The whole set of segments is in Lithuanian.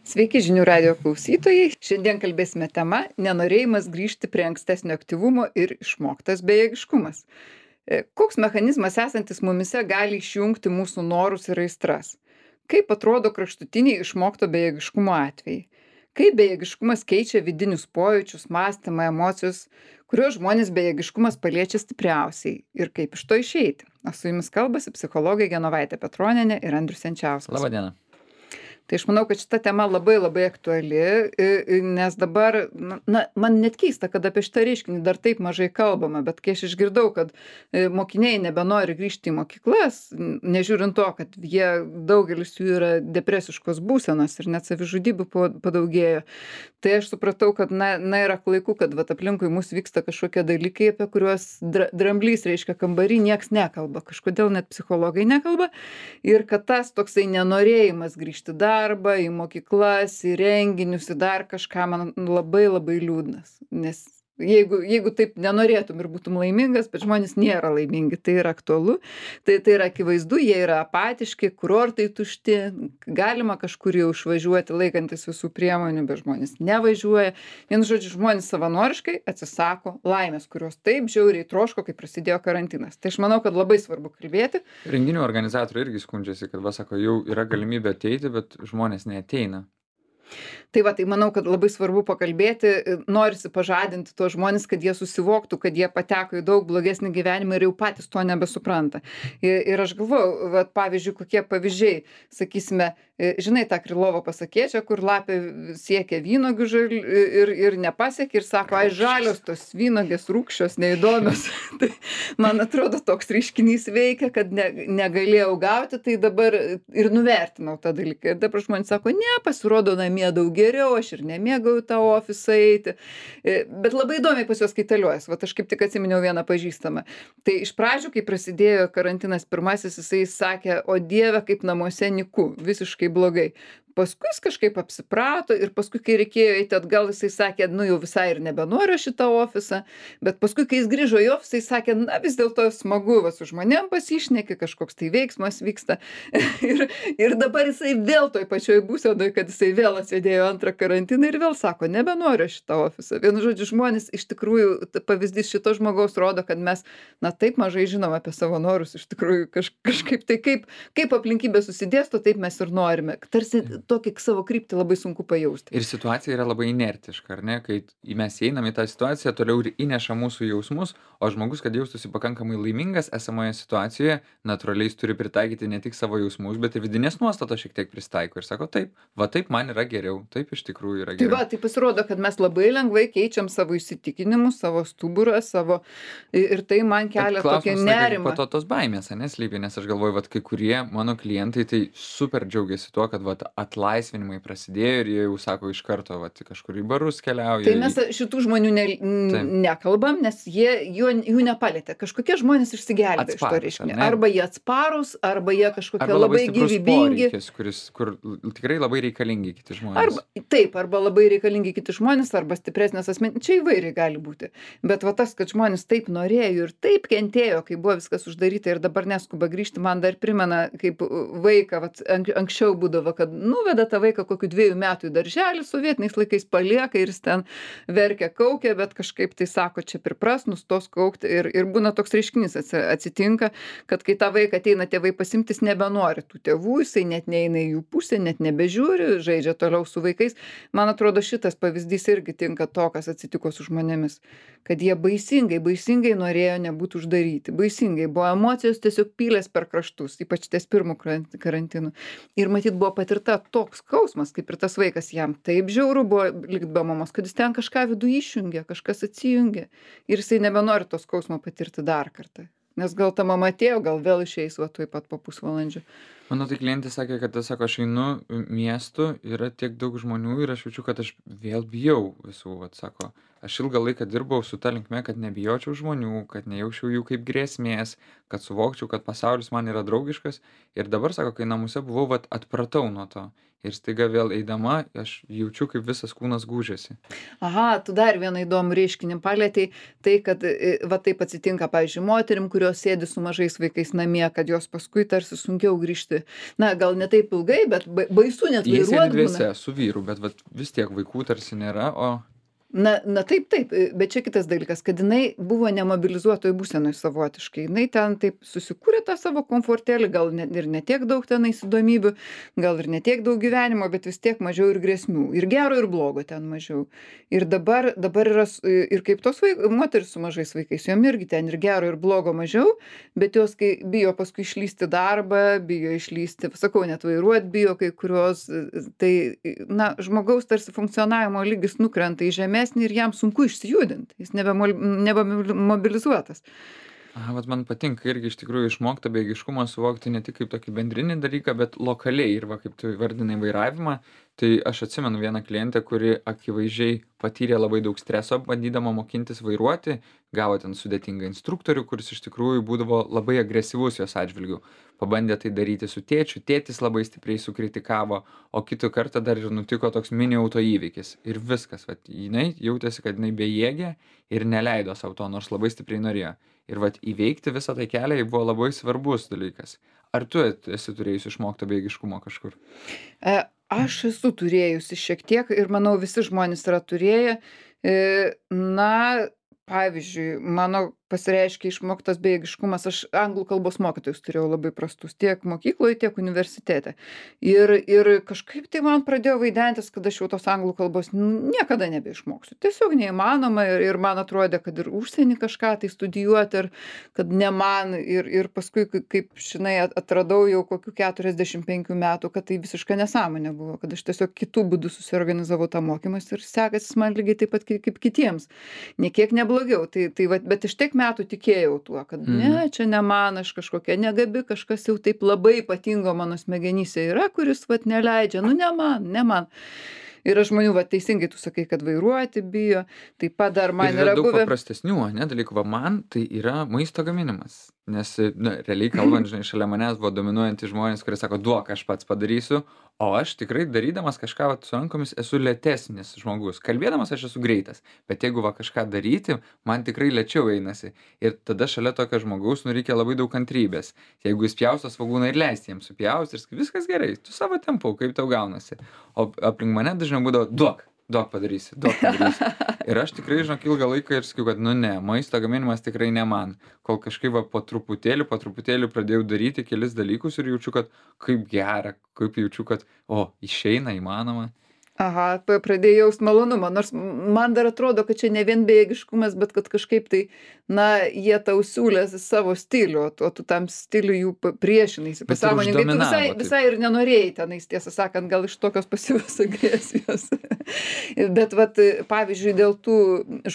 Sveiki žinių radijo klausytojai. Šiandien kalbėsime tema nenorėjimas grįžti prie ankstesnio aktyvumo ir išmoktas bejėgiškumas. Koks mechanizmas esantis mumise gali išjungti mūsų norus ir aistras? Kaip atrodo kraštutiniai išmokto bejėgiškumo atvejai? Kaip bejėgiškumas keičia vidinius pojūčius, mąstymą, emocijas, kuriuos žmonės bejėgiškumas paliečia stipriausiai ir kaip iš to išeiti? O su jumis kalbasi psichologai Genovaitė Petronienė ir Andrius Jančiauskas. Labadiena. Tai aš manau, kad šita tema labai labai aktuali, nes dabar, man net keista, kad apie šitą reiškinį dar taip mažai kalbama, bet kai aš išgirdau, kad mokiniai nebenori grįžti į mokyklas, nežiūrint to, kad jie daugelis jų yra depresiškos būsenos ir net savižudybių padaugėjo, tai aš supratau, kad yra klaiku, kad vat aplinkui mus vyksta kažkokie dalykai, apie kuriuos dramblys reiškia kambarį, nieks nekalba, kažkodėl net psichologai nekalba ir kad tas toksai nenorėjimas grįžti darbą, į mokyklas, į renginius, į dar kažką, man labai labai liūdnas. Nes jeigu taip nenorėtum ir būtum laimingas, bet žmonės nėra laimingi, tai yra aktualu, tai yra akivaizdu, jie yra apatiški, kurortai tušti, galima kažkur jau išvažiuoti laikantis visų priemonių, bet žmonės nevažiuoja. Vienu žodžiu, žmonės savanoriškai atsisako laimės, kurios taip žiauriai troško, kai prasidėjo karantinas. Tai aš manau, kad labai svarbu kalbėti. Renginių organizatoriai irgi skundžiasi, kad sako, jau yra galimybė ateiti, bet žmonės neateina. Tai va, tai manau, kad labai svarbu pakalbėti, norisi pažadinti tuos žmonės, kad jie susivoktų, kad jie pateko į daug blogesnį gyvenimą ir jau patys to nebesupranta. Ir aš galvoju, va, pavyzdžiui, kokie pavyzdžiai, sakysime, žinai tą Krylovo pasakėčią, kur lapė siekia vynogių ir nepasiekia ir sako, ai žalios tos vynogės rūgščios, neįdomios. Tai man atrodo, toks reiškinys veikia, kad negalėjau gauti, tai dabar ir nuvertinau tą dalyką. Ir dabar žmonės sako, ne, pasirodo namie daug geriau, aš ir nemėgau tą ofisą eiti. Bet labai įdomiai pas juos kaitaliuojas. Vat aš kaip tik atsiminiau vieną pažįstamą. Tai iš pradžių, kai prasidėjo karantinas pirmasis, jisai sakė, o Dieve, kaip namuose nyku, visiškai blogai. Paskui jis kažkaip apsiprato ir paskui, kai reikėjo eiti atgal, jisai sakė, jau visai ir nebenoriu šitą ofisą, bet paskui, kai jis grįžo į ofisą, jis sakė, vis dėlto smagu, su žmonėm pasišneki, kažkoks tai veiksmas vyksta. ir dabar jisai vėl toj pačioj būsenoj, kad jisai vėl atsėdėjo antrą karantiną ir vėl sako, nebenoriu šitą ofisą. Vienu žodžiu, žmonės iš tikrųjų, pavyzdys šito žmogaus rodo, kad mes, taip mažai žinom apie savo norus, iš tikrųjų kažkaip tai kaip aplinkybė susidėsto, taip mes ir norime. Tarsi tokį savo kryptį labai sunku pajausti. Ir situacija yra labai inertiška, ar ne? Kai mes einam į tą situaciją, toliau ir įneša mūsų jausmus, o žmogus, kad jaustųsi pakankamai laimingas esamoje situacijoje, natūraliai jis turi pritaikyti ne tik savo jausmus, bet ir vidinės nuostatos šiek tiek pristaiko ir sako, taip man yra geriau, taip iš tikrųjų yra geriau. Tai pasirodo, kad mes labai lengvai keičiam savo įsitikinimus, savo stuburą, ir tai man kelia tokį nerimą. Po to tos baimės, neslypi, nes aš galvoju, kai kurie mano klientai tai super džiaugiasi tuo, kad atlaisvinimai prasidėjo ir jie jau sako iš karto, kažkur į barus keliauja. Tai mes šitų žmonių nekalbam, nes jų nepalėtė. Kažkokie žmonės išsigelbė iš to reiškinio. Arba jie atsparūs, arba jie kažkokie labai gyvybingi. Kur tikrai labai reikalingi kiti žmonės. Arba labai reikalingi kiti žmonės, arba stipresnės asmenybės. Čia įvairiai gali būti. Bet tas, kad žmonės taip norėjo ir taip kentėjo, kai buvo viskas uždaryta ir dabar neskuba grįžti, man dar primena, kaip vaiką, anksčiau būdavo, kad nuveda tą vaiką kokių 2 metų į darželį, sovietiniais laikais palieka ir jis ten verkia, kaukia, bet kažkaip tai sako, čia pripras, nustos kaukti ir būna toks reiškinys atsitinka, kad kai tą vaiką ateina tėvai pasimtis, nebenori tų tėvų, jisai net neina į jų pusę, net nebežiūri, žaidžia toliau su vaikais. Man atrodo, šitas pavyzdys irgi tinka to, kas atsitiko su žmonėmis, kad jie baisingai norėjo nebūti uždaryti, baisingai buvo emocijos tiesiog pylės per kraštus, ypač ties pirmų karantinų. Ir matyt buvo patirta toks skausmas, kaip ir tas vaikas, jam taip žiauru buvo likt be mamos, kad jis ten kažką viduje išjungė, kažkas atsijungė ir jisai nebenori to skausmo patirti dar kartą. Nes gal ta mama atėjo, gal vėl išeis tuoj pat po pusvalandžio. Mano tai klientė sakė, kad aš einu miestu, yra tiek daug žmonių ir aš jaučiu, kad aš vėl bijau visų, sako. Aš ilgą laiką dirbau su ta linkme, kad nebijočiau žmonių, kad nejaučiau jų kaip grėsmės, kad suvokčiau, kad pasaulis man yra draugiškas. Ir dabar, sako, kai namuose buvau, atpratau nuo to. Ir staiga vėl eidama, aš jaučiu, kaip visas kūnas gūžiasi. Aha, tu dar vieną įdomų reiškinį palėtei, tai, kad taip atsitinka, pavyzdžiui, moterim, kurios sėdi su mažais vaikais namie, kad jos paskui tarsi sunkiau grįžti na, gal ne taip ilgai, bet baisu net Jie sėdi vairuot būna. dviese su vyru, bet vat vis tiek vaikų tarsi nėra, o Na taip, taip, bet čia kitas dalykas, kad jinai buvo nemobilizuotoj būsenoj savotiškai. Jinai ten taip susikūrė tą savo komfortėlį, gal ir ne tiek daug tenais įdomybių, gal ir ne tiek daug gyvenimo, bet vis tiek mažiau ir grėsmių. Ir gero, ir blogo ten mažiau. Ir dabar yra, ir kaip tos moteris su mažais vaikais, jom irgi ten ir gero, ir blogo mažiau, bet jos, kai bijo paskui išlysti darbą, bijo išlysti, sakau, net vairuot bijo kai kurios, tai, na, žmogaus tarsi funkcionavimo lygis nukrenta į žemę ir jam sunku išsijudint, jis nebemobilizuotas. aha, vat man patinka irgi iš tikrųjų išmokt tą bejėgiškumą suvokti ne tik kaip tokį bendrinį dalyką, bet lokaliai. Ir va, kaip tu įvardinai vairavimą, tai aš atsimenu vieną klientę, kuri akivaizdžiai patyrė labai daug streso, bandydama mokintis vairuoti, gavo ten sudėtingą instruktorių, kuris iš tikrųjų būdavo labai agresyvus jos atžvilgiu. Pabandė tai daryti su tėčiu, tėtis labai stipriai sukritikavo, o kitą kartą dar ir nutiko toks mini autoįvykis. Ir viskas, vat, jinai jautėsi, kad jinai bejėgė ir neleido savo to, nors labai stipriai norėjo. Ir vat įveikti visą tai kelią jai buvo labai svarbus dalykas. Ar tu esi turėjus išmokto bejėgiškumo kažkur? Aš esu turėjusi šiek tiek ir manau visi žmonės yra turėję. Na, pavyzdžiui, mano pasireiškia išmoktas bejėgiškumas. Aš anglų kalbos mokytojus turėjau labai prastus tiek mokykloje, tiek universitete. Ir kažkaip tai man pradėjo vaidentis, kad aš jau tos anglų kalbos niekada nebeišmoksiu. Tiesiog neįmanoma ir man atrodė, kad ir užsienį kažką tai studijuoti, ir kad ne man. Ir paskui, kaip žinai, atradau jau kokių 45 metų, kad tai visiška nesąmonė buvo, kad aš tiesiog kitų būdų susiorganizavau tą mokymąsi ir sekasi man lygiai taip pat kaip kitiems. Niekiek neblogiau. Tai vat, bet iš tiek metų tikėjau tuo, kad ne, čia ne man, aš kažkokia negabi, kažkas jau taip labai ypatingo mano smegenyse yra, kuris vat neleidžia, nu ne man. Yra žmonių, va teisingai tu sakai, kad vairuoti bijo, taip pat dar man Ir yra yra daug buvę. paprastesnių, ane, dalykų. Va man tai yra maisto gaminimas. Nes, na, realiai kalbant, žinai, šalia manęs buvo dominuojantys žmonės, kurie sako, duok, aš pats padarysiu, o aš tikrai darydamas kažką vat, su rankomis esu lėtesnis žmogus. Kalbėdamas aš esu greitas, bet jeigu va kažką daryti, man tikrai lėčiau einasi. Ir tada šalia tokio žmogaus, nu, reikia labai daug kantrybės. Jeigu jis pjausto svogūną ir leisti jiems supjausti ir sakai, viskas gerai, tu savo tempu, kaip tau gaunasi. O aplink mane dažniau būdavo, duok padarysi. Ir aš tikrai, žinok, ilgą laiką ir sakiau, kad, nu ne, maisto gaminimas tikrai ne man. Kol kažkaip va, po truputėlį pradėjau daryti kelis dalykus ir jaučiu, kad kaip gera, kaip jaučiu, kad, išeina, įmanoma. Aha, pradėjau jaust malonumą, nors man dar atrodo, kad čia ne vien bejėgiškumas, bet kad kažkaip tai, na, jie tau siūlė savo stilių, o tu tam stiliui jų priešinaisi. Bet ir Pasąmoningai tu uždominavo taip. visai ir nenorėjai tenais, tiesą sakant, gal iš tokios pasyvios agresijos. Bet vat, pavyzdžiui, dėl tų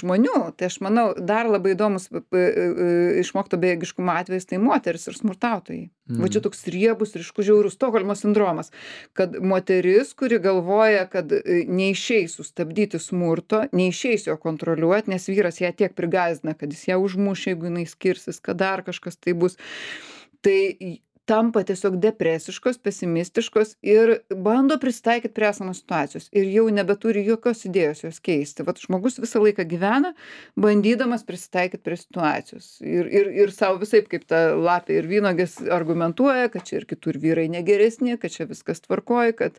žmonių, tai aš manau, dar labai įdomus išmokto bejėgiškumo atvejis tai moteris ir smurtautojai. Va čia toks riebus, ryškus, žiaurus Stokholmo sindromas, kad moteris, kuri galvoja, kad neišeis sustabdyti smurto, neišeis jo kontroliuoti, nes vyras ją tiek prigąsdina, kad jis ją užmuš, jeigu jinai skirsis, kad dar kažkas tai bus. Tai tampa tiesiog depresiškos, pesimistiškos ir bando prisitaikyti prie esamos situacijos. Ir jau nebeturi jokios idėjos jos keisti. Vat žmogus visą laiką gyvena, bandydamas prisitaikyti prie situacijos. Ir savo visaip kaip ta lapė ir vynogės argumentuoja, kad čia ir kitur vyrai negeresni, kad čia viskas tvarkoja, kad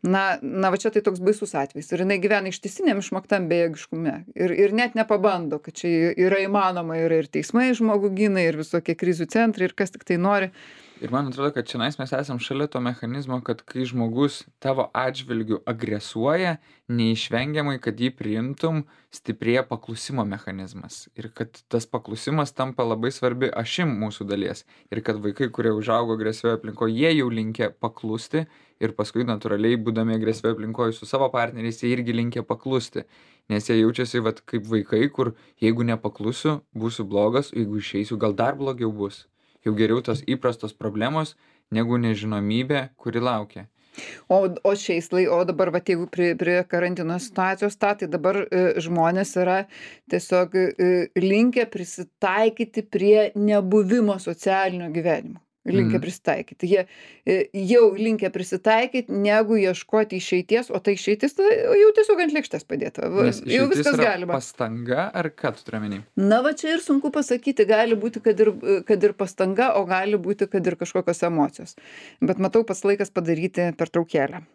na va čia tai toks baisus atvejis. Ir jinai gyvena ištisiniam išmoktam bejėgiškume. Ir net nepabando, kad čia yra įmanoma, yra ir teismai žmogų gina, ir visokie krizių centrai, ir kas tik tai nori. Ir man atrodo, kad čionais mes esam šalia to mechanizmo, kad kai žmogus tavo atžvilgiu agresuoja, neišvengiamai, kad jį priimtum, stiprėja paklusimo mechanizmas. Ir kad tas paklusimas tampa labai svarbi ašim mūsų dalies. Ir kad vaikai, kurie užaugo agresyvioje aplinkoje, jie jau linkę paklusti ir paskui natūraliai, būdami agresyvioje aplinkoje su savo partneriais, jie irgi linkę paklusti. Nes jie jaučiasi vat, kaip vaikai, kur jeigu nepaklusiu, būsiu blogas, jeigu išeisiu, gal dar blogiau bus. Jau geriau tos įprastos problemos, negu nežinomybė, kuri laukia. O dabar, va, jeigu prie karantino situacijos, tai dabar žmonės yra tiesiog linkę prisitaikyti prie nebuvimo socialinio gyvenimo. linkę prisitaikyti. Jie jau linkę prisitaikyti, negu ieškoti išeities, o tai išeitis jau tiesiog ant lėkštės padėta. Nes Jau išeitis viskas yra galima. pastanga, ar ką tu turi omeny? Na, va čia ir sunku pasakyti, gali būti, kad ir pastanga, o gali būti, kad ir kažkokios emocijos. Bet matau, pats laikas padaryti pertraukėlę.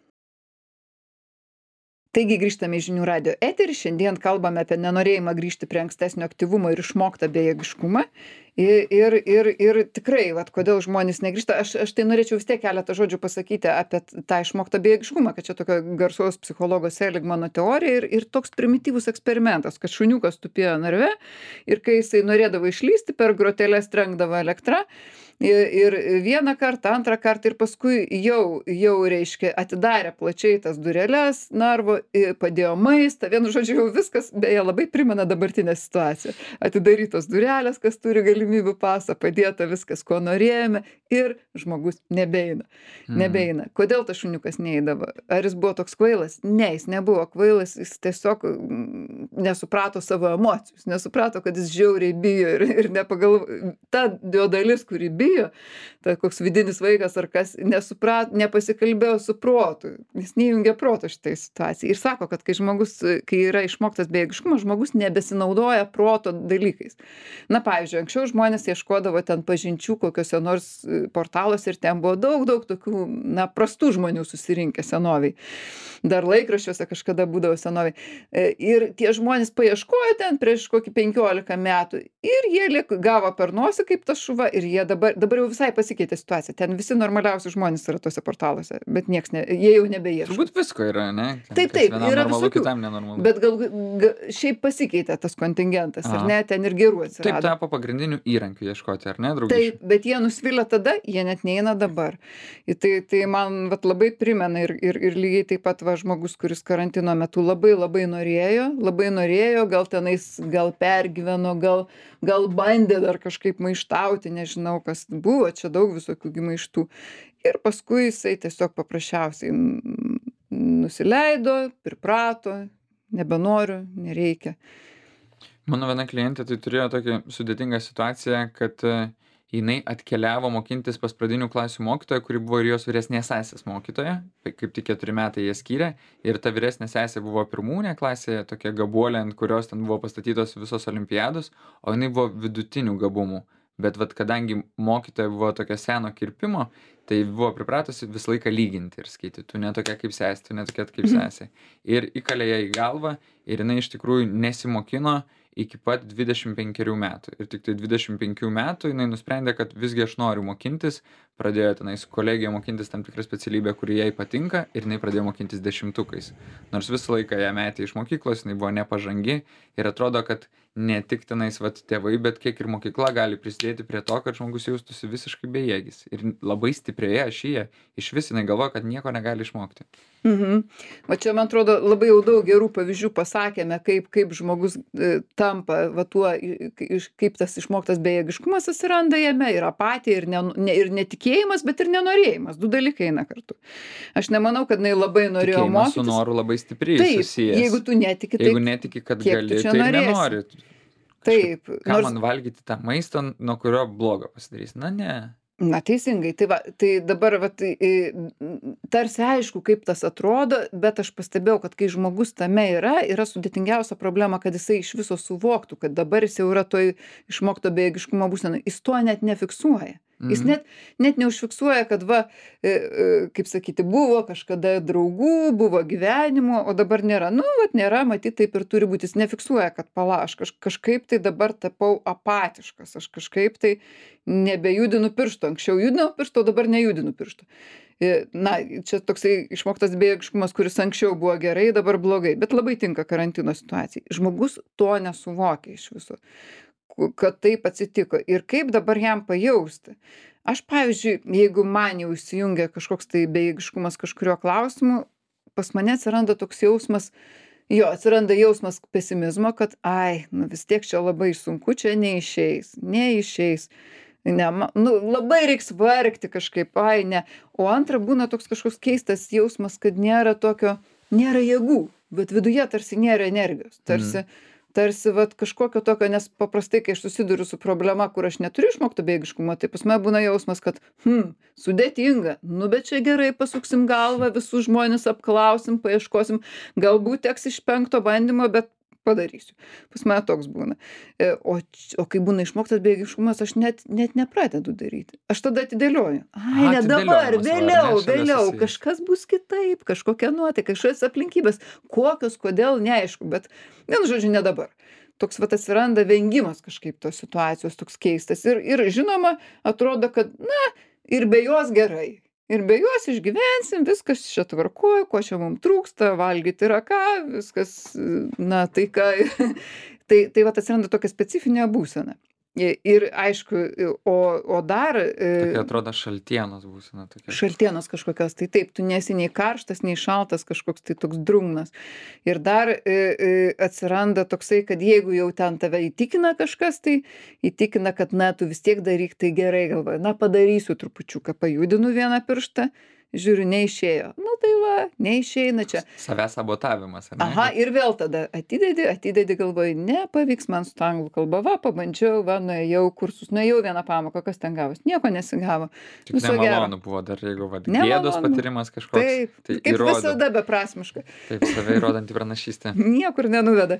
Taigi grįžtame į Žinių radijo eterį. Šiandien kalbame apie nenorėjimą grįžti prie ankstesnio aktyvumo ir išmoktą bejėgiškumą. Ir tikrai, vat, kodėl žmonės negrįžta. Aš tai norėčiau vis tiek keletą žodžių pasakyti apie tą išmoktą bejėgiškumą, kad čia tokio garsaus psichologo Seligmano teorija ir toks primityvus eksperimentas, kad šuniukas tupėjo narve ir kai jisai norėdavo išlysti, per groteles trenkdavo elektra. Ir vieną kartą, antrą kartą ir paskui jau reiškia, atidarė plačiai tas dureles narvo, padėjo maistą, vienu žodžiu jau viskas, beje, labai primena dabartinę situaciją. Atidarytos durelės, kas turi galimybių pasą, padėta viskas, ko norėjome ir žmogus nebeina. Nebeina. Kodėl tas šuniukas neįdavo? Ar jis buvo toks kvailas? Ne, jis nebuvo kvailas, jis tiesiog nesuprato savo emocijų, jis nesuprato, kad jis žiauriai bijo ir nepagalvojo. Ta jo dalis, kuri bijo, ta koks vidinis vaikas ar kas, nepasikalbėjo su protu, jis neįjungia proto šitai situacijai. Ir sako, kad kai yra išmoktas bejėgiškumas, žmogus nebesinaudoja proto dalykais. Na, pavyzdžiui, anksčiau žmonės ieškodavo ten pažinčių kokiuose nors portaluose ir ten buvo daug tokių, na, prastų žmonių susirinkę senoviai. Dar laikraščiuose kažkada būdavo senoviai. Ir tie žmonės paieškojo ten prieš kokį 15 metų ir jie gavo per nosį kaip tas šuva ir jie dabar jau visai pasikeitė situacija. Ten visi normaliausi žmonės yra tuose portaluose, bet jie jau nebeieško. Turbūt visko yra, ne? Taip, vienam yra normalu, visokių. kitam nenormalu. Bet šiaip pasikeitė tas kontingentas, ar ne, ten ir gerų atsirado. Taip tapo pagrindiniu įrankiu ieškoti, ar ne, draugiškai? Taip, bet jie nusvilę tada, jie net neina dabar. Tai man man primena ir lygiai taip pat žmogus, kuris karantino metu labai norėjo, gal pergyveno, gal bandė dar kažkaip maištauti, nežinau, kas buvo, čia daug visokių maištų. Ir paskui jisai tiesiog paprasčiausiai nusileido, priprato, nebenoriu, nereikia. Mano viena klientė tai turėjo tokią sudėtingą situaciją, kad jinai atkeliavo mokintis pas pradinių klasių mokytoją, kuri buvo ir jos vyresnės sesės mokytoja, kaip tik 4 metai jie skyrė, ir ta vyresnė sesė buvo pirmūnė klasėje, tokia gabuolė, ant kurios ten buvo pastatytos visos olimpiados, o jinai buvo vidutinių gabumų. Bet kadangi mokytoja buvo tokio seno kirpimo, tai buvo pripratusi visą laiką lyginti ir sakyti, tu ne tokia kaip sesė, tu ne tokia kaip sesė. Ir įkalė ją į galvą ir jinai iš tikrųjų nesimokino iki pat 25 metų. Ir tik tai 25 metų jinai nusprendė, kad visgi aš noriu mokintis, pradėjo tenai su kolegija mokintis tam tikrą specialybę, kuri jai patinka, ir jinai pradėjo mokintis 10-ukais. Nors visą laiką ją metė iš mokyklos, jinai buvo nepažangi ir atrodo, kad ne tik tenais tėvai, bet kiek ir mokykla gali prisidėti prie to, kad žmogus jaustųsi visiškai bejėgis. Ir labai stiprioje ašyje iš vis jinai galvoja, kad nieko negali išmokti. O čia, man atrodo, labai jau daug gerų pavyzdžių pasakėme, kaip žmogus tampa tuo, kaip tas išmoktas bejėgiškumas atsiranda jame, ir apatija, ir netikėjimas, bet ir nenorėjimas. 2 dalykai eina kartu. Aš nemanau, kad jinai labai norėjo Tikėjimas mokytis. su noru labai stipriai susijęs. Jeigu tu netiki, tai jeigu netiki, kad gali, tai nenori. Taip. Ką man valgyti tą maistą, nuo kurio blogo pasidarys? Na, ne. Na, teisingai. Tai dabar tarsi aišku, kaip tas atrodo, bet aš pastebėjau, kad kai žmogus tame yra sudėtingiausia problema, kad jisai iš viso suvoktų, kad dabar jis jau yra toj išmokto bejėgiškumo būsenoj. Jis to net nefiksuoja. Jis net neužfiksuoja, kad kaip sakyti, buvo kažkada draugų, buvo gyvenimo, o dabar nėra. Nėra, matyt, taip ir turi būti. Jis nefiksuoja, kad aš kažkaip tai dabar tapau apatiškas, aš kažkaip tai nebejudinu piršto. Anksčiau judinau piršto, o dabar nejudinu piršto. Na, čia toksai išmoktas bejėgiškumas, kuris anksčiau buvo gerai, dabar blogai, bet labai tinka karantino situacijai. Žmogus to nesuvokia iš viso, kad taip atsitiko ir kaip dabar jam pajausti. Aš, pavyzdžiui, jeigu man jau įsijungia kažkoks tai bejėgiškumas kažkurio klausimu, pas mane atsiranda toks jausmas, atsiranda jausmas pesimizmo, kad vis tiek čia labai sunku, čia neišeis. Labai reiks vargti kažkaip, ne. O antra, būna toks kažkoks keistas jausmas, kad nėra jėgų, bet viduje tarsi nėra energijos, tarsi tarsi vat kažkokio tokio, nes paprastai, kai aš susiduriu su problema, kur aš neturiu išmokto bejėgiškumo, tai pas mane būna jausmas, kad, sudėtinga, nu bet čia gerai pasuksim galvą, visus žmones apklausim, paieškosim, galbūt teks iš 5 bandymo, bet padarysiu. Pas mane toks būna. O kai būna išmoktas bejėgiškumas, aš net nepradedu daryti. Aš tada atidėlioju. Ai, ne dabar, vėliau, kažkas bus kitaip, kažkokia nuotaika, kažkokios aplinkybės, kokios, kodėl, neaišku, bet, vienu žodžiu, ne dabar. Toks vat atsiranda vengimas kažkaip tos situacijos, toks keistas. Ir žinoma, atrodo, kad, ir be jos gerai. Ir be jos išgyvensim, viskas čia tvarkoj, ko čia mums trūksta, valgyti yra ką, viskas, tai ką. Tai vat atsiranda tokia specifinė būsena. Ir aišku, o dar... Tokia atrodo šaltienos būsena. Šaltienos kažkokios, tai taip, tu nesi nei karštas, nei šaltas, kažkoks tai toks drungnas. Ir dar atsiranda toksai, kad jeigu jau ten tave įtikina kažkas, tai įtikina, kad tu vis tiek daryk, tai gerai galvoja, padarysiu trupučiuką, pajudinu vieną pirštą, žiūriu, neišėjo. Tai va, neišeina čia. Savęs sabotavimas, ar ne? Aha, ir vėl tada atidedi galvoji, nepavyks man su anglų kalba, pabandžiau, nuėjau kursus, nuėjau vieną pamoką, kas ten gavos, nieko nesigavo. Tik nemalonu buvo dar, jeigu gėdos patyrimas kažkoks. Taip, tai kaip įrodo. Visada beprasmiška. Taip, save įrodantį pranašystę. Niekur nenuveda.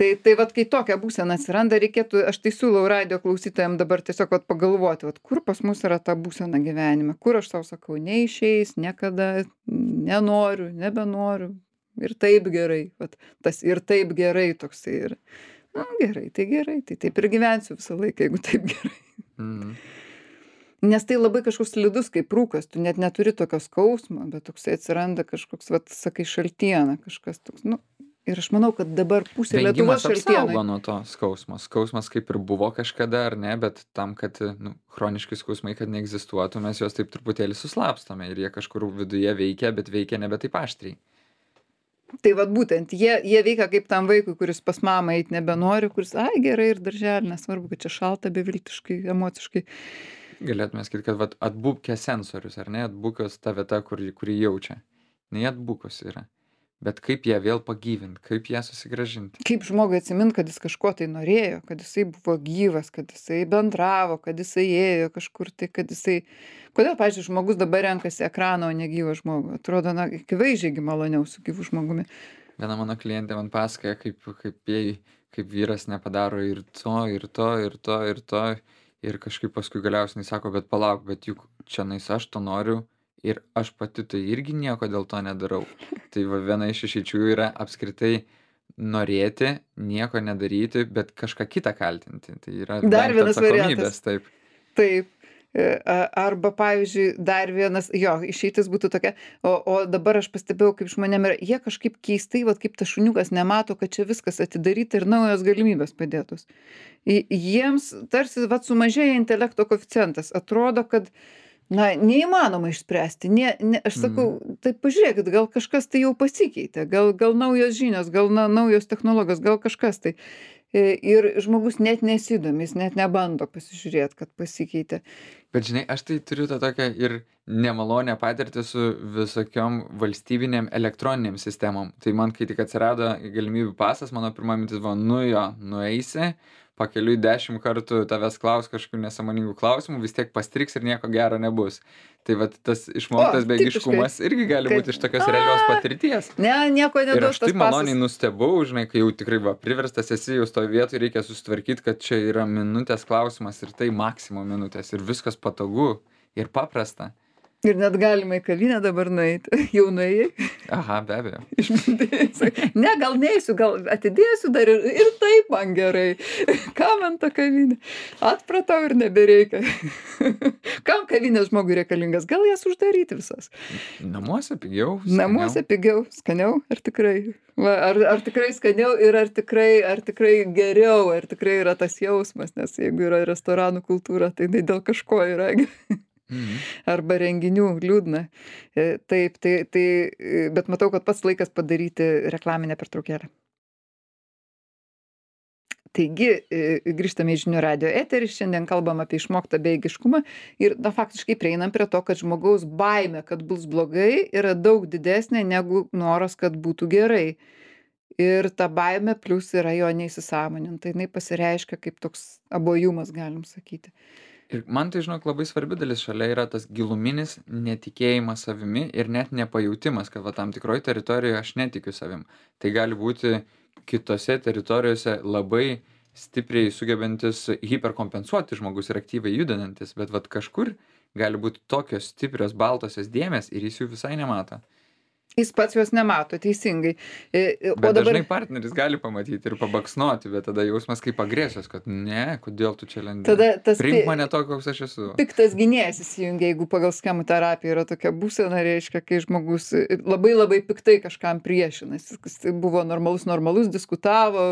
Tai vat, kai tokia būsena atsiranda, reikėtų, aš tai siūlau radijo klausytojams dabar tiesiog pagalvoti, kur pas mus yra ta būsena gyvenime, kur aš savo sakau, neišeis, niekada nenoriu, nebenoriu. Ir taip gerai. Vat, tas ir taip gerai toksai yra. Gerai, tai taip ir gyvensiu visą laiką, jeigu taip gerai. Nes tai labai kažkoks slidus kaip rūkas, tu net neturi tokio skausmo, bet toksai atsiranda kažkoks, sakai, šaltiena, kažkas toks. Ir aš manau, kad dabar pusė Lietuvos šaltienai. Vengimas apsaugo nuo to skausmo. Skausmas kaip ir buvo kažkada, ar ne, bet tam, kad chroniški skausmai, kad neegzistuotų, mes juos taip truputėlį suslapstome ir jie kažkur viduje veikia, bet veikia nebe taip aštriai. Tai vat būtent, jie veikia kaip tam vaikui, kuris pas mamą eit nebenori, kuris, gerai ir darželį, nesvarbu, kad čia šalta beviltiškai, emociškai. Galėtume sakyti, kad atbukė sensorius, ar ne, atbukęs ta vieta, kurį jaučia. Ne atbukęs yra. Bet kaip ją vėl pagyvinti, kaip ją susigrąžinti. Kaip žmogui atsimint, kad jis kažko tai norėjo, kad jisai buvo gyvas, kad jisai bendravo, kad jisai ėjo kažkur tai, kad jisai... Kodėl, pavyzdžiui, žmogus dabar renkasi ekraną, o ne gyvą žmogų? Atrodo, akivaizdžiai maloniau su gyvu žmogumi. Viena mano klientė man pasakoja, kaip vyras nepadaro ir to, ir kažkaip paskui galiausiai sako, bet palauk, bet juk čianais aš to noriu. Ir aš pati tai irgi nieko dėl to nedarau. Tai viena iš išeičių yra apskritai norėti, nieko nedaryti, bet kažką kitą kaltinti. Tai yra dar vienas variantas. Taip. Arba, pavyzdžiui, dar vienas, išeitis būtų tokia, o dabar aš pastebėjau, kaip žmonėm yra, jie kažkaip keistai, kaip tas šuniukas nemato, kad čia viskas atidaryta ir naujos galimybės padėtos. Jiems tarsi sumažėja intelekto koeficientas. Atrodo, kad neįmanoma išspręsti. Aš sakau, tai pažiūrėkit, gal kažkas tai jau pasikeitė, gal naujos žinios, gal naujos technologijos, gal kažkas tai. Ir žmogus net nesidomi, jis net nebando pasižiūrėti, kad pasikeitė. Bet žinai, aš tai turiu tą tokią ir nemalonę patirtį su visokiom valstybinėm elektroninėm sistemom. Tai man, kai tik atsirado galimybių pasas, mano pirma mintis buvo, nueisi, pakeliui 10 kartų tavęs klaus kažkokių nesąmoningų klausimų, vis tiek pastriks ir nieko gero nebus. Tai tas išmoktas bejėgiškumas irgi gali būti iš tokios realios patirties. Nieko neduos tas pasas. Ir aš tai maloniai nustebau, žinai, kai jau tikrai priverstas esi, jau toj vietoj reikia susitvarkyti, kad čia yra minutės klausimas ir tai maksimum minutės ir viskas patogu ir paprasta. Ir net galima į kavinę dabar nueiti. Jau nuėjai? Aha, be abejo. Ne, gal neisiu, gal atidėsiu dar ir taip man gerai. Kam man ta kavinė? Atpratau ir nebereikia. Kam kavinės žmogui reikalingas? Gal jas uždaryti visas? Namuose pigiau. Namuose pigiau, skaniau, ar tikrai? Ar tikrai skaniau ir ar tikrai geriau, ar tikrai yra tas jausmas, nes jeigu yra restoranų kultūra, tai dėl kažko yra. Arba renginių liūdna. Taip, bet matau, kad pats laikas padaryti reklaminę pertraukėlę. Taigi, grįžtame į žinių radijo eterį, šiandien kalbam apie išmoktą bejėgiškumą ir faktiškai prieinam prie to, kad žmogaus baimė, kad bus blogai, yra daug didesnė negu noras, kad būtų gerai. ir ta baimė plius yra jo neįsisąmoninta. Jinai pasireiškia kaip toks abuojumas, galim sakyti. Ir man tai, žinok, labai svarbi dalis šalia yra tas giluminis netikėjimas savimi ir net nepajautimas, kad va tam tikroj teritorijoje aš netikiu savim. Tai gali būti kitose teritorijose labai stipriai sugebantis hiperkompensuoti žmogus ir aktyviai judantis, bet vat kažkur gali būti tokios stiprios baltosios dėmės ir jis jų visai nemato. Jis pats jos nemato, teisingai. O Bet dabar dažnai partneris gali pamatyti ir pabaksnoti, bet tada jausmas kaip agresijos, kad ne, kodėl tu čia lendi. tada tas Priimk mane to, koks aš esu. piktas gynėjas įsijungia, jeigu pagal schemų terapiją yra tokia būsena, reiškia, kai žmogus labai labai piktai kažkam priešinasi. Jis buvo normalus, diskutavo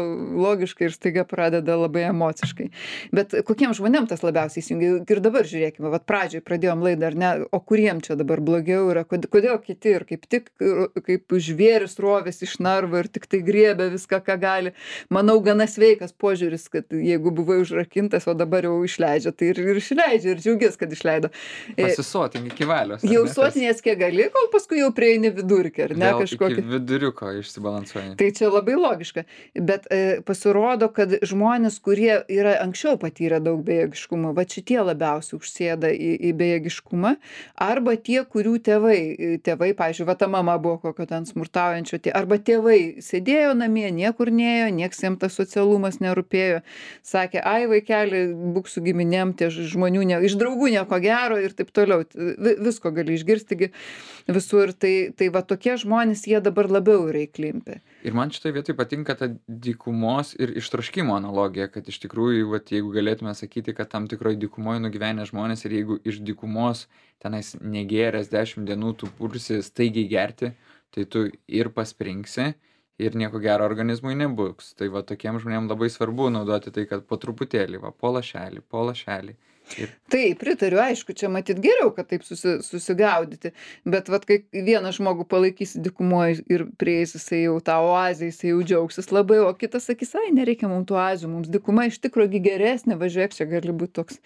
logiškai ir staiga pradeda labai emociškai. Bet kokiem žmonėm tas labiausiai įsijungia? Ir dabar žiūrėkime, vat pradžioj pradėjom laidą, ar ne, o kuriem čia dabar blogiau yra, kodėl kiti ir kaip tik kaip žvėris rovės iš narvo ir tik tai griebia viską, ką gali. Manau, gana sveikas požiūris, kad jeigu buvai užrakintas, o dabar jau išleidžia, tai ir išleidžia, ir džiaugies, kad išleido. Pasisotink iki valios. Jau sotinės kiek gali, kol paskui jau prieini vidurkį, ar ne kažkokį. Iki viduriuko išsibalansuoji. Tai čia labai logiška. Bet pasirodo, kad žmonės, kurie yra anksčiau patyrę daug bejėgiškumo, va šitie labiausiai užsėda į bejėgiškumą, arba tie, kurių tėvai, pavyzdžiui, va ta mama buvo kokio ten smurtaujančio, arba tėvai sėdėjo namie, niekur nėjo, nieks jiems tas socialumas nerūpėjo, sakė, ai vaikeli, būk su giminėm, tie žmonių, iš draugų nieko gero ir taip toliau. Visko gali išgirstigi visur. Tai va tokie žmonės, jie dabar labiau yra įklimpę. Ir man šitoje vietoje patinka ta dykumos ir ištroškimo analogija, kad iš tikrųjų, vat, jeigu galėtume sakyti, kad tam tikroje dykumoje nugyvenę žmonės ir jeigu iš dykumos tenais negėręs 10 dienų tu pursi staigiai gerti, tai tu ir paspringsi ir nieko gero organizmui nebus. Tai va tokiem žmonėm labai svarbu naudoti tai, kad po truputėlį, va, po lašelį. Ir... Taip, pritariu, aišku, čia matyt geriau, kad taip susigaudyti, bet vat, kai vieną žmogų palaikysi dykumoje ir prieis jisai jau tą oazę, jisai jau džiaugsis labai, o kitas sakys, ai, nereikia mums tų oazių, mums dykuma iš tikrųjų geresnė, važiuok, čia gali būti toks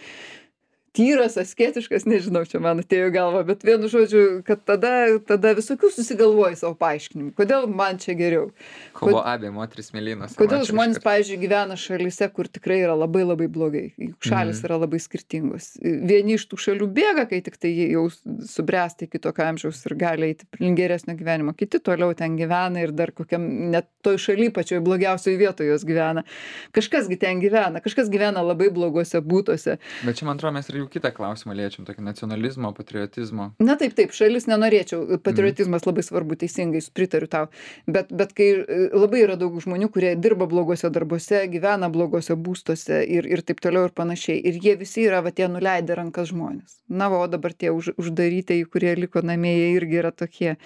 tyras, asketiškas, nežinau, čia man atėjo į galvą, bet vienu žodžiu, kad tada visokių susigalvoji savo paaiškinimų, kodėl man čia geriau. Kovo abie, moteris mėlynas. Kodėl žmonės, pavyzdžiui, gyvena šalyse, kur tikrai yra labai labai blogai, juk šalis yra labai skirtingos. Vieni iš tų šalių bėga, kai tik tai jau subręsta iki tokio amžiaus ir gali eiti link geresnio gyvenimo, kiti toliau ten gyvena ir dar kokiam net toj šaly pačioj blogiausioje vietoje jos gyvena. Kažkasgi ten gyvena, kažkas gyvena labai blogose būtuose. Bet čia, man atrodo, mes ir jau kitą klausimą liečiam, tokį nacionalizmo, patriotizmo. Na taip, šalis nenorėčiau, patriotizmas labai svarbu, teisingai, pritariu tau, bet kai labai yra daug žmonių, kurie dirba blogose darbuose, gyvena blogose būstuose ir taip toliau ir panašiai, ir jie visi yra, va, tie nuleidę rankas žmonės. Na, o dabar tie uždarytieji, kurie liko namie, jie irgi yra tokie.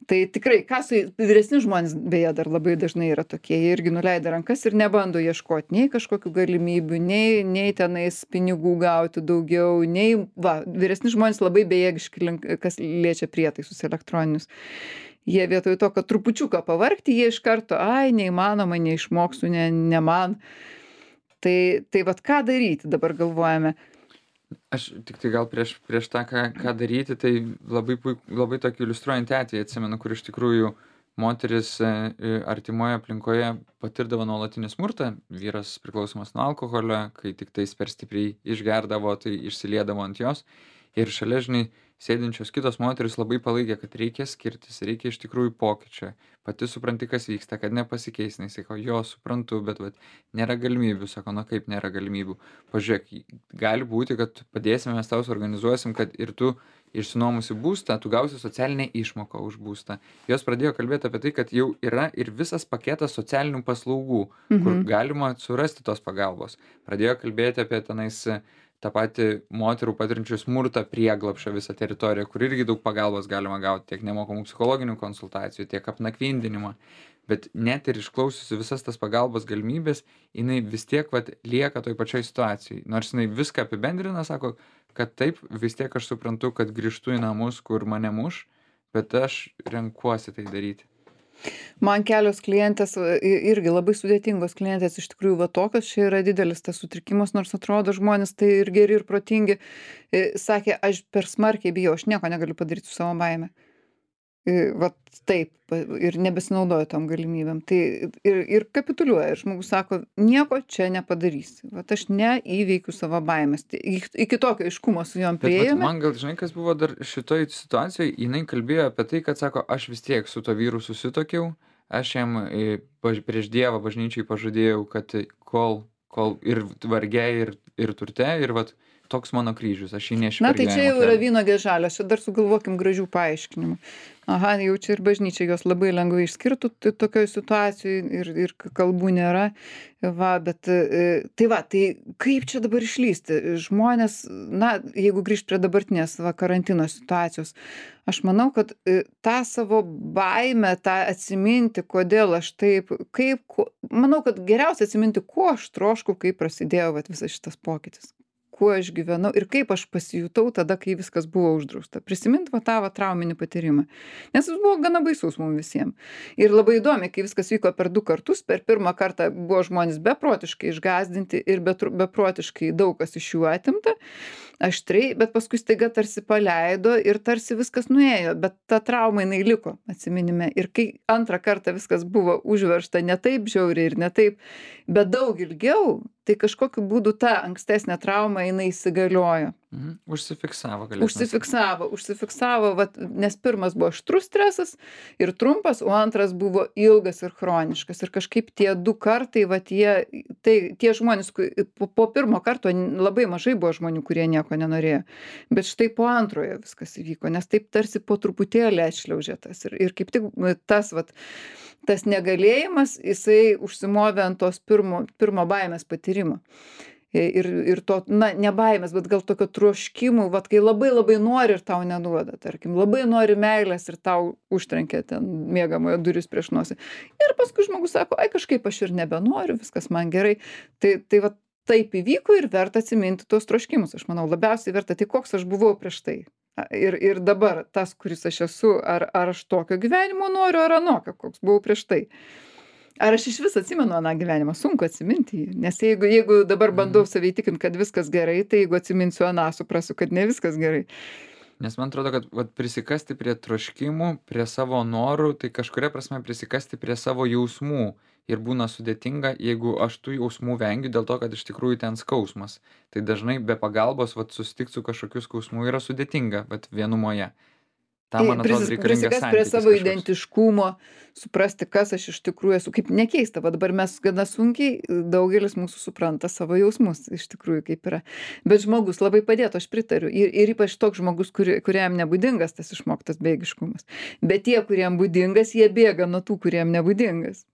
Tai tikrai, vyresni žmonės, beje, dar labai dažnai yra tokie, jie irgi nuleidę rankas ir nebando ieškoti nei kažkokių galimybių, nei tenais pinigų gauti daugiau, vyresni žmonės labai bejėgiški, kas liečia prietaisus elektroninius. Jie vietoj to, kad trupučiuką pavargti, jie iš karto, ai, neįmanoma, neišmoksiu, ne man. Tai vat ką daryti, dabar galvojame. Aš tik tai gal prieš tą, ką daryti, tai labai tokį iliustruojantį atvejį atsimenu, kur iš tikrųjų moteris artimoje aplinkoje patirdavo nuolatinį smurtą, vyras priklausomas nuo alkoholio, kai tik tais per stipriai išgerdavo, tai išsiliedavo ant jos. Ir šalia, žinai, sėdinčios kitos moterys labai palaikė, kad reikia skirtis, reikia iš tikrųjų pokyčio. Pati supranti, kas vyksta, kad nepasikeis. Jis sako, jo, suprantu, bet nėra galimybių. Sako, na kaip nėra galimybių. Pažiūrėk, gali būti, kad padėsime, mes tau suorganizuosim, kad ir tu išsinuomusi būstą, tu gausi socialinę išmoką už būstą. Jos pradėjo kalbėti apie tai, kad jau yra ir visas paketas socialinių paslaugų, kur galima surasti tos pagalbos. Pradėjo kalbėti apie tenais tą patį moterų patirinčių smurtą prieglapšio visą teritoriją, kur irgi daug pagalbos galima gauti, tiek nemokamų psichologinių konsultacijų, tiek apnakvindinimą. Bet net ir išklausiusi visas tas pagalbos galimybės, jinai vis tiek lieka toj pačioj situacijai. Nors jinai viską apibendrina, sako, kad taip, vis tiek aš suprantu, kad grįžtu į namus, kur mane muš, bet aš renkuosi tai daryti. Man kelios klientės, irgi labai sudėtingos klientės, iš tikrųjų va tokios, čia yra didelis tas sutrikimas, nors atrodo žmonės tai ir geri, ir protingi, sakė, aš per smarkiai bijau, aš nieko negaliu padaryti su savo baime. Vat taip, ir nebesinaudoja tom galimybėm. Tai ir kapituliuoja. Ir žmogus sako, nieko čia nepadarysi. Vat aš neįveikiu savo baimės. Tai iki tokio aiškumo su jom Bet vat priėjome. man gal žinai, kas buvo dar šitoj situacijoj, jinai kalbėjo apie tai, kad sako, aš vis tiek su to vyru susituokiau, aš jam prieš Dievą bažnyčiai pažadėjau, kad kol ir varge, ir turte, ir vat toks mano kryžius, aš jį nešiu Na, per tai čia gyvenimo jau yra kelią. vynuogės žalios, čia dar sugalvokim gražių paaiškinimų. Aha, jau čia ir bažnyčia jos labai lengvai išskirtų tokioj situacijoj ir kalbų nėra. Va, bet tai va, tai kaip čia dabar išlysti? Žmonės, na, jeigu grįžt prie dabartinės va, karantino situacijos, aš manau, kad tą savo baimę, tą atsiminti, kodėl aš taip, manau, kad geriausia atsiminti, ko aš troškau, kai prasidėjo vat, visas šitas pokytis, kuo aš gyvenau ir kaip aš pasijutau tada, kai viskas buvo uždrausta. Prisimint va tą va trauminį patyrimą. Nes jis buvo gana baisus mums visiems. Ir labai įdomi, kai viskas vyko per 2 kartus, per pirmą kartą buvo žmonės beprotiškai išgąsdinti ir beprotiškai daug kas iš jų atimta, aštriai, bet paskui staiga tarsi paleido ir tarsi viskas nuėjo, bet ta trauma jinai liko atsiminime. Ir kai antrą kartą viskas buvo užveršta ne taip žiauriai ir ne taip, bet daug ilgiau, tai kažkokiu būdu ta ankstesnė trauma jinai įsigaliojo. Užsifiksavo, galėtume sakyti. Užsifiksavo, vat, nes pirmas buvo aštrus stresas ir trumpas, o antras buvo ilgas ir chroniškas. Ir kažkaip tie 2 kartai, vat, tie žmonės, po pirmo karto labai mažai buvo žmonių, kurie nieko nenorėjo. Bet štai po antrojo viskas įvyko, nes taip tarsi po truputėlį atšliaužė tas. Ir kaip tik tas negalėjimas, jisai užsimovė ant tos pirmo baimės patyrimo. Ir to, na, ne baimės, bet gal tokio troškimų, vat kai labai labai nori ir tau neduoda, tarkim, labai nori meilės ir tau užtrenkia ten miegamojo duris prieš nosį. Ir paskui žmogus sako, ai kažkaip aš ir nebenoriu, viskas man gerai. Tai vat taip įvyko ir verta atsiminti tos troškimus, aš manau, labiausiai verta, tai koks aš buvau prieš tai. Ir dabar tas, kuris aš esu, ar aš tokio gyvenimo noriu, ar anokio, koks buvau prieš tai. Ar aš išvis atsimenu aną gyvenimą? Sunku atsiminti jį. Nes jeigu dabar bandau save įtikint, kad viskas gerai, tai jeigu atsiminsiu aną, suprasiu, kad ne viskas gerai. Nes man atrodo, kad vat, prisikasti prie troškimų, prie savo norų, tai kažkuria prasme prisikasti prie savo jausmų. Ir būna sudėtinga, jeigu aš tų jausmų vengiu dėl to, kad iš tikrųjų ten skausmas. Tai dažnai be pagalbos susitikti su kažkokiu skausmu yra sudėtinga, bet vienumoje. Tam, man atrodo, reikalingas Prisikast prie santykis savo kažkoks. identiškumo, suprasti, kas aš iš tikrųjų esu. Kaip nekeista, va dabar mes gana sunkiai, daugelis mūsų supranta savo jausmus, iš tikrųjų kaip yra. Bet žmogus labai padėtų, aš pritariu. Ir ypač toks žmogus, kuriam nebūdingas tas išmoktas bėgiškumas. Bet tie, kuriem būdingas, jie bėga nuo tų, kuriem nebūdingas.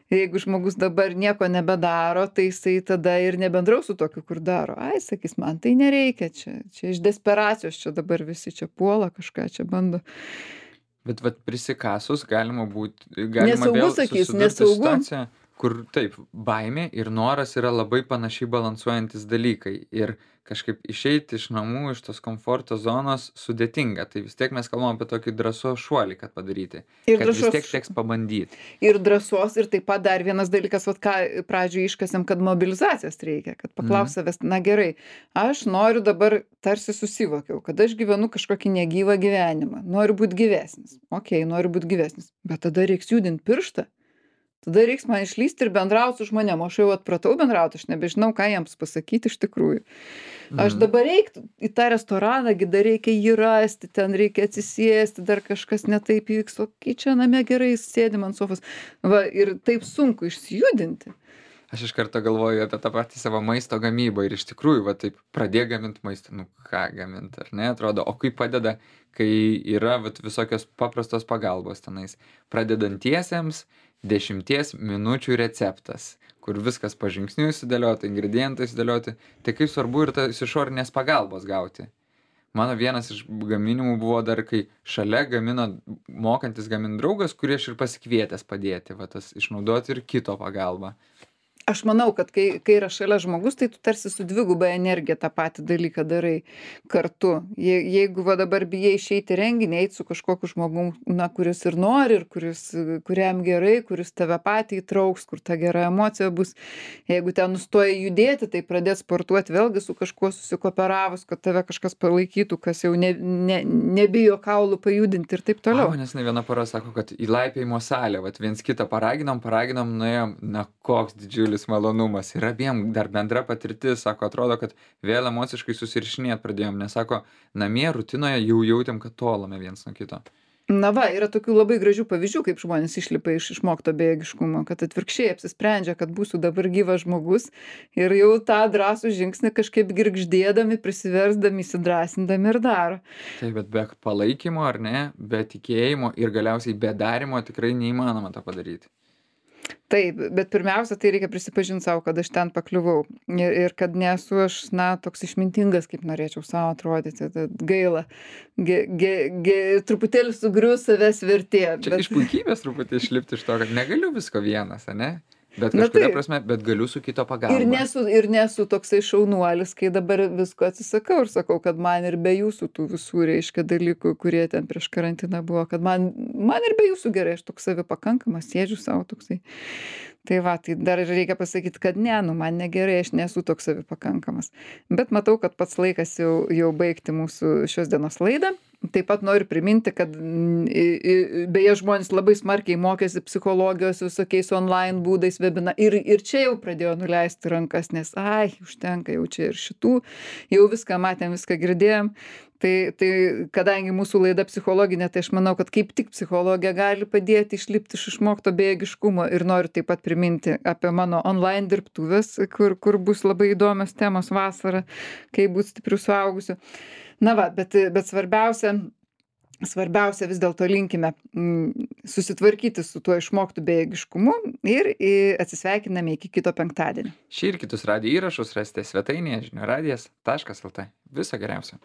Jeigu žmogus dabar nieko nebedaro, tai jisai tada ir nebendraus su tokiu, kur daro. Ai, sakys, man tai nereikia, čia iš desperacijos, čia dabar visi čia puola, kažką čia bando. Bet vat prisikasus galima Nesaugu, vėl sakys, susidurti nesaugu. situaciją, kur taip, baimė ir noras yra labai panašiai balansuojantis dalykai. Ir kažkaip išeiti iš namų, iš tos komforto zonos sudėtinga. Tai vis tiek mes kalbam apie tokį drąsos šuolį, kad padaryti. Ir Kad vis drąsos- tiek teks pabandyti. Ir drąsos, ir taip pat dar vienas dalykas, vat ką pradžioje iškasėm, kad mobilizacijos reikia, kad paklaus savęs, na gerai, aš noriu dabar tarsi susivokiau, kad aš gyvenu kažkokį negyvą gyvenimą, noriu būti gyvesnis. Ok, noriu būti gyvesnis, bet tada reiks judinti pirštą. Tada reiks man išlysti ir bendrauti su žmonėm. Aš jau atpratau bendrauti, aš nebežinau, ką jiems pasakyti iš tikrųjų. Aš dabar reiktų į tą restoraną, dar reikia jį rasti, ten reikia atsisėsti, dar kažkas netaip įvyks, o kai čia namie gerai sėdim ant sofos. Va, ir taip sunku išsijudinti. Aš iš karto galvoju apie tą patį savo maisto gamybą ir iš tikrųjų, va taip, pradėk gaminti maistą, nu ką gaminti, ar ne, atrodo, o kaip padeda, kai yra vat, visokios paprastos pagalbos tenais. Pradedantiesiems 10 minučių receptas, kur viskas pažingsniui sudėliota, ingredientai sudėlioti, tai kaip svarbu ir tas išorinės pagalbos gauti. Mano vienas iš gaminimų buvo dar, kai šalia gamino mokantis gaminti draugas, kurį aš ir pasikvietęs padėti, va tas išnaudoti ir kito pagalbą. Aš manau, kad kai yra šalia žmogus, tai tu tarsi su dviguba energija tą patį dalyką darai kartu. Jeigu va dabar bijai išeiti į renginį, eit su kažkokiu žmogum, na, kuris ir nori, ir kuriam gerai, kuris tave patį įtrauks, kur ta gera emocija bus. Jeigu ten nustoji judėti, tai pradėt sportuoti vėlgi su kažkuo susikooperavus, kad tave kažkas palaikytų, kas jau nebijo kaulų pajudinti ir taip Ai, toliau. manęs ne viena pora sako, kad į laipiojimo salę, vat viens kitą paraginom, nuėjom, na koks didžiulis malonumas. Ir abiem dar bendra patirtis, sako, atrodo, kad vėl emociškai susirišinėt pradėjom, nes sako, namie rutinoje jau jautėm, kad tolame viens nuo kito. Na va, yra tokių labai gražių pavyzdžių, kaip žmonės išlipa iš išmokto bejėgiškumo, kad atvirkščiai apsisprendžia, kad būsiu dabar gyvas žmogus ir jau tą drąsų žingsnį kažkaip girgždėdami, prisiversdami, įsidrąsindami ir daro. Taip, bet be palaikymo ar ne, be tikėjimo ir galiausiai be darimo tikrai neįmanoma to padaryti. Taip, bet pirmiausia, tai reikia prisipažinti savo, kad aš ten pakliuvau ir kad nesu aš, na, toks išmintingas, kaip norėčiau savo atrodyti. Tad gaila, truputėlį sugrius savęs vertė. Čia iš puikybės truputį išlipti iš to, kad negaliu visko vienas, ane? Bet Na kažkuria taip. prasme, bet galiu su kito pagalba. Ir nesu toksai šaunuolis, kai dabar visko atsisakau ir sakau, kad man ir be jūsų tų visų, reiškia, dalykų, kurie ten prieš karantiną buvo, kad man ir be jūsų gerai, aš toks savipakankamas, sėdžiu savo toksai. Tai va, tai dar ir reikia pasakyti, kad ne, nu man negerai, aš nesu toks savipakankamas. Bet matau, kad pats laikas jau baigti mūsų šios dienos laidą. Taip pat noriu priminti, kad beje žmonės labai smarkiai mokėsi psichologijos visokiais online būdais ir čia jau pradėjo nuleisti rankas, nes užtenka jau čia ir šitų, jau viską matėm, viską girdėjom. Tai kadangi mūsų laida psichologinė, tai aš manau, kad kaip tik psichologija gali padėti išlipti iš išmokto bejėgiškumo ir noriu taip pat priminti apie mano online dirbtuves, kur bus labai įdomios temos vasarą, kaip būti stipriu suaugusiu. Na va, bet svarbiausia vis dėlto linkime susitvarkyti su tuo išmoktu bejėgiškumu ir atsisveikiname iki kito penktadienio. Šį ir kitus radijo įrašus rasite svetainėje žinių radijas.lt. Viso geriausio.